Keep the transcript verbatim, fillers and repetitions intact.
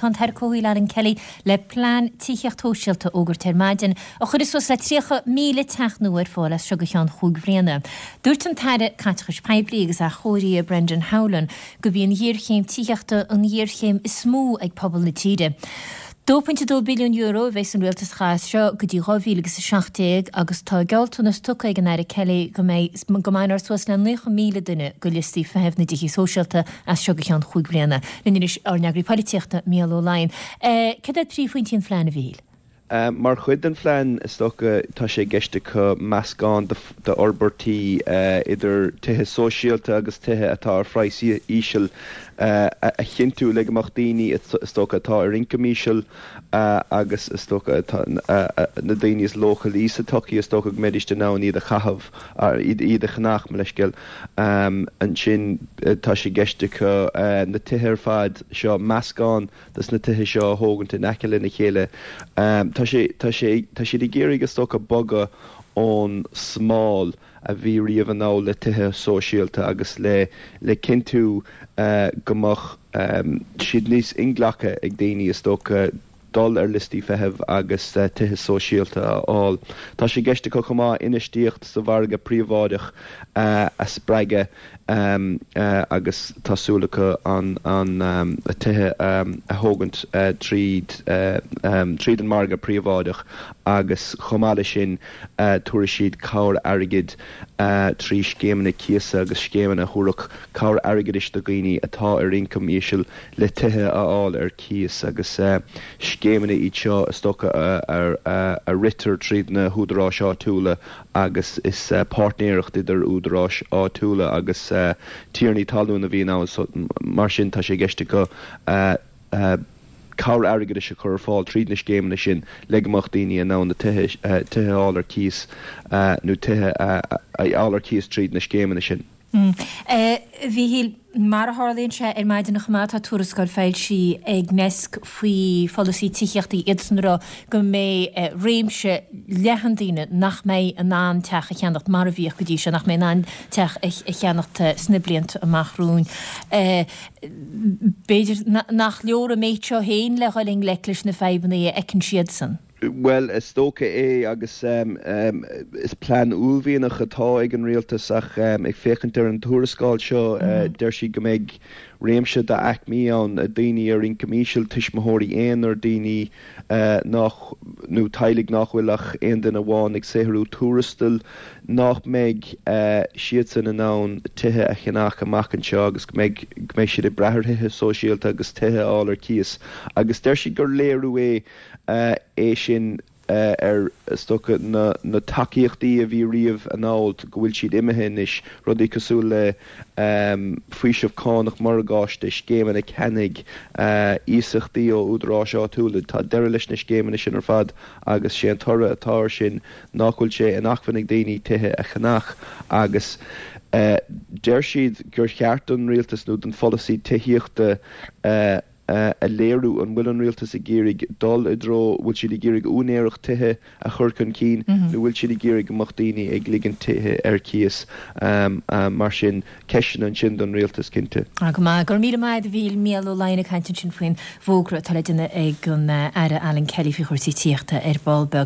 Tá an tAire Comhshaoil Alan Kelly le plean tithíocht shóisialta a fhógairt ar maidin a chuirfidh suas le tríocha míle teach nua ar fáil as seo go ceann chúig bhliana. Dúirt an tAire Caiteachais Poiblí agus Athchóirithe Brendan Howlin gurb í an ghéarchéim tithíochta an ghéarchéim is mó ag pobal na tíre. Dó pointe dó billiún euro a bheas an rialtas a chaitheamh as seo go dtí dhá mhíle agus a seacht déag agus tá gealltanas tugtha ag an Aire Kelly go mbeidh go mbainfear suas le naocha míle duine de liostaí feithimh na dtithí sóisialta as seo go ceann chúig bhliana. Linn anois ár n-eagraí polaitíochta, Mícheál Ó Laighin. Cad iad príomhphointí an phlean, a Mhíchíl? Mar chuid den phlean, is dócha, tá sé i gceist acu meascán d'fhorbairtí idir tithe sóisialta agus tithe atá ar phraghas íseal a chinntiú le go mbeadh daoine, is dócha, atá ar ioncam íseal agus is dócha atá na daoine is leochailí sa tsochaí, is dócha go mbeidís in ann iad a chaitheamh, iad a cheannach, mo leithscéal. Ansin tá sé i gceist acu na tithe ar fad seo, meascán des na tithe seo a thógaint in aice lena chéile. Tá sé, tá sé, tá siad ag iarraidh is dócha bogadh ón smál a bhí riamh anall le tithe sóisialta agus le, le cinntiú go mbeadh siad níos inghlactha ag daoine is dócha dul ar liostaí feithimh agus tithe sóisialta a fháil. Tá sé i gceist acu chomh maith infheistíocht sa mhargadh príobháideach a spreagadh agus tá súil acu an tithe a thógaint tríd tríd an margadh príobháideach agus chomh maith leis sin tabharfaidh siad cabhair airgid trí scéimeanna cíosa agus scéimeanna a thabharfadh cabhair airgeadais do dhaoine atá ar ioncam íseal le tithe a fháil ar cíos agus scéimeanna iad seo is dócha a ritear tríd na húdaráis áitiúla agus is páirtnéireacht idir údaráis áitiúla agus tiarnaí talún a bhíonn ann so mar sin tá sé i gceist acu cabhair airgeadais a chur ar fáil tríd na scéimeanna sin le go mbeadh daoine in ann na tithe a fháil ar cíos nó tithe a fháil ar cíos tríd na scéimeanna sin. A Mhíchíl, mar a tharlaíonn sé ar maidin chomh maith, tá tuarascáil foilsithe ag Nesc faoi pholasaí tithíochta, iadsan ag rá go mbeidh réimse leathan daoine nach mbeidh in ann teach a cheannacht mar a bhíodh go dtí seo, nach mbeidh in ann teach a cheannacht sna blianta amach romhainn. B'fhéidir nach leor an méid seo féin le dhul i ngleic leis na fadhbanna a fheiceann siadsan. Bhuel, is dócha é agus is plean uaillmhianach atá ag an rialtas ach ag féachaint ar an tuarascáil seo deir siad go mbeidh réimse d'aicmí ann, daoine ar ioncam íseal, tuismitheoirí aonair, daoine nach, nó teaghlaigh nach bhfuil ach aon duine amháin ag saothrú tuarastail, nach mbeidh siadsan in ann tithe a cheannach amach anseo agus go mbeidh, go mbeidh siad ag brath ar thithe sóisialta agus tithe a fháil ar cíos agus deir siad gur léiriú é é sin ar, is dócha, na tacaíochtaí a bhí riamh anall, go bhfuil siad imithe anois, rudaí cosúil le faoiseamh cánach morgáiste, scéimeanna ceannaigh, iasachtaí ó údaráis áitiúla. Tá deireadh leis na scéimeanna sin ar fad agus sé an toradh atá air sin nach bhfuil sé in acmhainn ag daoine tithe a cheannach agus deir siad gur cheart don rialtas nó don pholasaí tithíochta a léiriú an bhfuil an rialtas ag iarraidh dul i dtreo, bhfuil siad ag iarraidh úinéireacht tithe a chur chun cinn nó bhfuil siad ag iarraidh go mbeadh daoine ag ligint tithe ar cíos. Mar sin, ceisteanna ansin don rialtas, cinnte. Go maith. Go raibh míle maith agat a Mhíchíl. Mícheál Ó Laighin ag caint ansin faoin bhfógra atá le déanamh ag an Aire Alan Kelly faoi chúrsaí tithíochta ar ball beag.